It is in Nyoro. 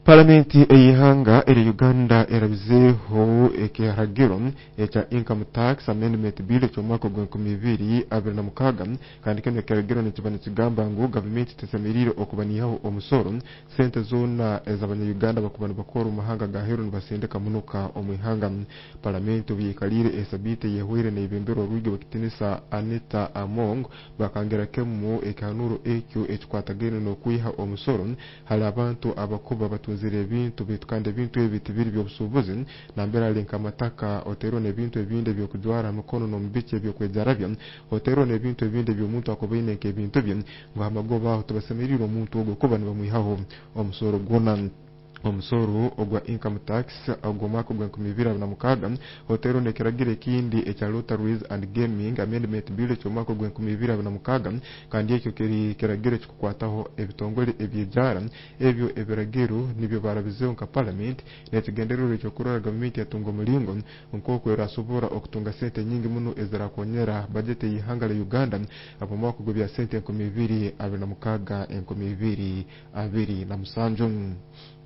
Palamenti ey'ihanga erya Uganda erabizeeho ekiragiro ekya Income Tax Amendment Bill eky'omwaka ogwa 2026. Kandi kinu ekiragiro nikiba nikigamba ngu gavumenti tesemeriire okuba niihaho omusoro sente zoona ez'abanya-Uganda bakuba nibakora omu mahanga g'aheeru nibasindika munuka omu ihanga. Palamenti obu yaikaliire esabiiti eyehwaire neyebemberwa orwigi rw'ekitinisa Anita Among, bakangira kimu ekihanuro ekyo ekikwatagaine n'okwiha omusoro hali abantu abakuba batunzire ebintu, baitu kandi ebintu ebi tibiri by'obusuubuzi, nambere ali nk'amataka, oteerwe n'ebintu ebindi eby'okujwara ha mikono n'omubiki eby'okwejarabya, oteerwe n'ebintu ebindi eby'omuntu akuba aine nk'ebintu bye, ngu ha magoba aho tibasemeriire omuntu ogwo kuba nibamwihaho omusoro gwona. Omusoro ogwa income tax ogw'omwaka ogwa 2026 oteerwe n'ekiragiro ekindi ekya Lotteries and Gaming Amendment Bill eky'omwaka ogwa 2026, kandi ekyo kiri kiragiro ekikukwataho ebitongole eby'ejaara. Ebyo ebiragiro nibyo barabizeho nka palamenti n'ekigendererwa ekyokurora gavumenti yatunga omulingo nk'oku erasobora okutunga sente nyingi muno ezirakonyera bajeti ey'ihanga lya Uganda ab'omwaka ogw'ebya sente 2026 2027.